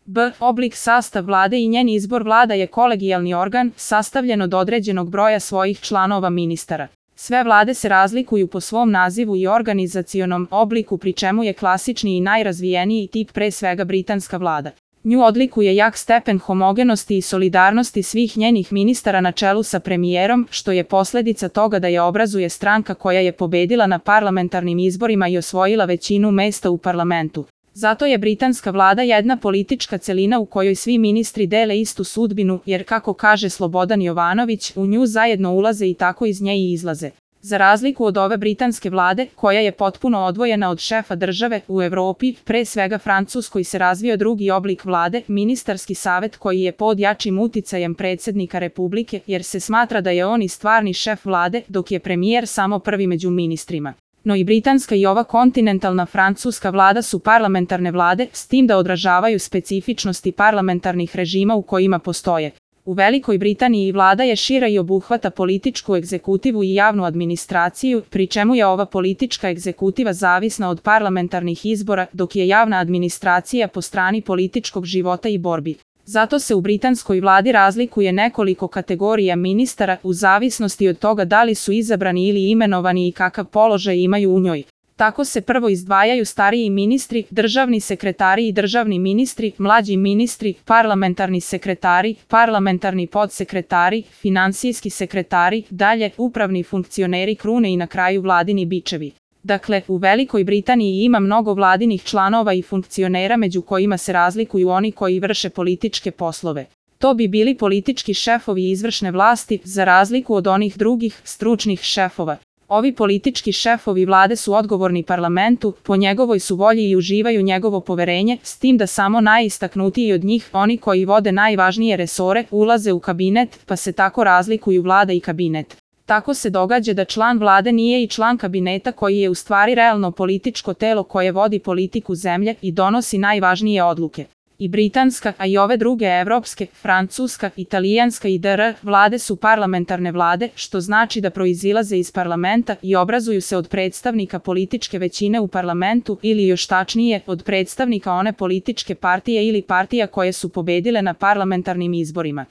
b. Oblik sastav vlade i njen izbor. Vlada je kolegijalni organ, sastavljen od određenog broja svojih članova ministara. Sve vlade se razlikuju po svom nazivu i organizacionom obliku, pri čemu je klasični i najrazvijeniji tip pre svega britanska vlada. Nju odlikuje jak stepen homogenosti i solidarnosti svih njenih ministara na čelu sa premijerom, što je posledica toga da je obrazuje stranka koja je pobedila na parlamentarnim izborima i osvojila većinu mesta u parlamentu. Zato je britanska vlada jedna politička celina u kojoj svi ministri dele istu sudbinu, jer kako kaže Slobodan Jovanović, u nju zajedno ulaze i tako iz nje i izlaze. Za razliku od ove britanske vlade, koja je potpuno odvojena od šefa države, u Evropi, pre svega Francuskoj, se razvio drugi oblik vlade, ministarski savet, koji je pod jačim uticajem predsjednika Republike, jer se smatra da je on i stvarni šef vlade, dok je premijer samo prvi među ministrima. No i britanska i ova kontinentalna francuska vlada su parlamentarne vlade, s tim da odražavaju specifičnosti parlamentarnih režima u kojima postoje. U Velikoj Britaniji vlada je šira i obuhvata političku egzekutivu i javnu administraciju, pri čemu je ova politička egzekutiva zavisna od parlamentarnih izbora, dok je javna administracija po strani političkog života i borbi. Zato se u britanskoj vladi razlikuje nekoliko kategorija ministara u zavisnosti od toga da li su izabrani ili imenovani i kakav položaj imaju u njoj. Tako se prvo izdvajaju stariji ministri, državni sekretari i državni ministri, mlađi ministri, parlamentarni sekretari, parlamentarni podsekretari, finansijski sekretari, dalje upravni funkcioneri krune i na kraju vladini bičevi. Dakle, u Velikoj Britaniji ima mnogo vladinih članova i funkcionera, među kojima se razlikuju oni koji vrše političke poslove. To bi bili politički šefovi izvršne vlasti, za razliku od onih drugih, stručnih šefova. Ovi politički šefovi vlade su odgovorni parlamentu, po njegovoj su volji i uživaju njegovo poverenje, s tim da samo najistaknutiji od njih, oni koji vode najvažnije resore, ulaze u kabinet, pa se tako razlikuju vlada i kabinet. Tako se događa da član vlade nije i član kabineta, koji je u stvari realno političko telo koje vodi politiku zemlje i donosi najvažnije odluke. I britanska, a i ove druge evropske, francuska, italijanska i dr. vlade su parlamentarne vlade, što znači da proizilaze iz parlamenta i obrazuju se od predstavnika političke većine u parlamentu ili još tačnije, od predstavnika one političke partije ili partija koje su pobedile na parlamentarnim izborima.